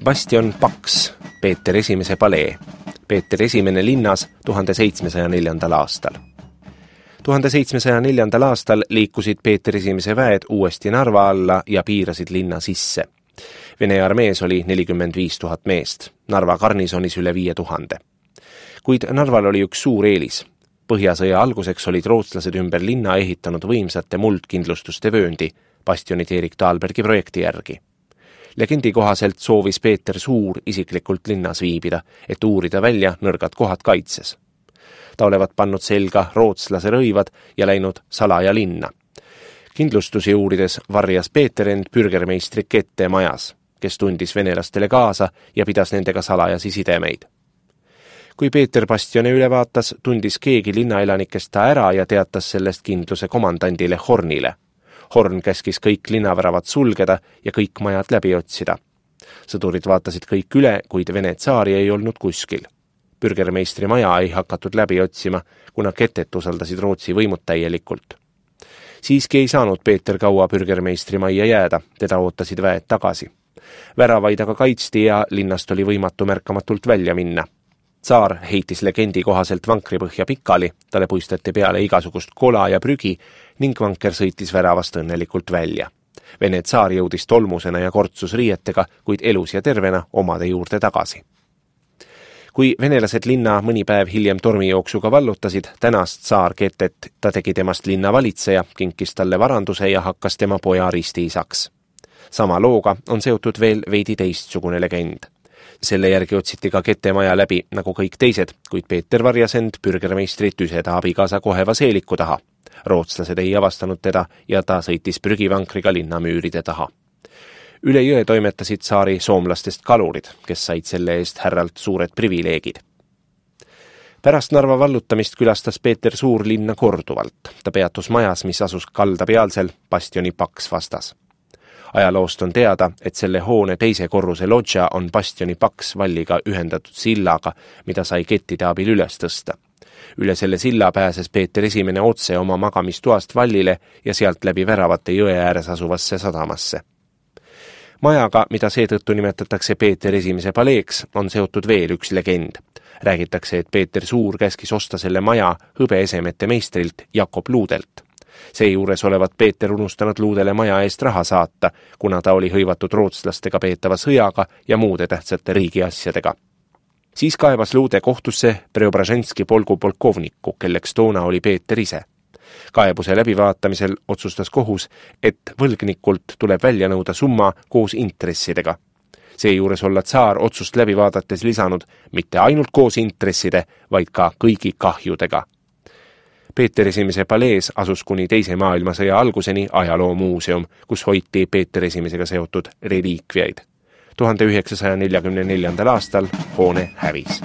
Bastion Paks, Peeter I palee. Peeter I linnas 1704. aastal. 1704. aastal liikusid Peeter I väed uuesti Narva alla ja piirasid linna sisse. Vene armees oli 45 000 meest, Narva garnisonis üle 5000. Kuid Narval oli üks suur eelis. Põhjasõja alguseks olid rootslased ümber linna ehitanud võimsate muldkindlustuste vööndi, bastionid Erik Dahlbergi projekti järgi. Legendi kohaselt soovis Peeter Suur isiklikult linnas viibida, et uurida välja nõrgad kohad kaitses. Ta olevat pannud selga rootslase rõivad ja läinud salaja linna. Kindlustusi uurides varjas Peeter end pürgermeistri Kette majas, kes tundis venelastele kaasa ja pidas nendega salajasi sidemeid. Kui Peeter bastione üle vaatas, tundis keegi linnaelanikest ta ära ja teatas sellest kindluse komandandile Hornile. Horn käskis kõik linnaväravad sulgeda ja kõik majad läbi otsida. Sõdurid vaatasid kõik üle, kuid Vene tsaari ei olnud kuskil. Pürgermeistri maja ei hakatud läbi otsima, kuna Ketet usaldasid Rootsi võimud täielikult. Siiski ei saanud Peeter kaua pürgermeistri majja jääda, teda ootasid väed tagasi. Väravaid aga kaitsti ja linnast oli võimatu märkamatult välja minna. Tsaar heitis legendi kohaselt vankripõhja pikali, talle puistati peale igasugust kola ja prügi ning vanker sõitis väravast õnnelikult välja. Vene tsaar jõudis tolmusena ja kortsus riietega, kuid elus ja tervena omade juurde tagasi. Kui venelased linna mõni päev hiljem tormijooksuga vallutasid, tänas tsaar Ketet, ta tegi temast linna valitseja, kinkis talle varanduse ja hakkas tema poja ristiisaks. Sama looga on seotud veel veidi teistsugune legend. Selle järgi otsiti ka Kette maja läbi, nagu kõik teised, kuid Peeter varjas end pürgermeistri tüseda abikaasa Koheva seeliku taha. Rootslased ei avastanud teda ja ta sõitis prügivankriga linnamüüride taha. Üle jõe toimetasid tsaari soomlastest kalurid, kes said selle eest härralt suured privileegid. Pärast Narva vallutamist külastas Peeter Suur linna korduvalt. Ta peatus majas, mis asus kaldapealsel bastioni Paks vastas. Ajaloost on teada, et selle hoone teise korruse lodža on bastioni Paks valliga ühendatud sillaga, mida sai kettide abil üles tõsta. Üle selle silla pääses Peeter I otse oma magamistuast vallile ja sealt läbi väravate jõe ääres asuvasse sadamasse. Majaga, mida seetõttu nimetatakse Peeter I paleeks, on seotud veel üks legend. Räägitakse, et Peeter Suur käskis osta selle maja hõbeesemete meistrilt Jakob Luudelt. Seejuures olevat Peeter unustanud Luudele maja eest raha saata, kuna ta oli hõivatud rootslastega peetava sõjaga ja muude tähtsate riigiasjadega. Siis kaebas Luude kohtusse Preobraženski polgu polkovniku, kelleks toona oli Peeter ise. Kaebuse läbivaatamisel otsustas kohus, et võlgnikult tuleb välja nõuda summa koos intressidega. Seejuures olla tsaar otsust läbi vaadates lisanud mitte ainult koos intresside, vaid ka kõigi kahjudega. Peeter I palees asus kuni teise maailmasõja alguseni ajaloomuuseum, kus hoiti Peeter I seotud reliikviaid. 1944. aastal hoone hävis.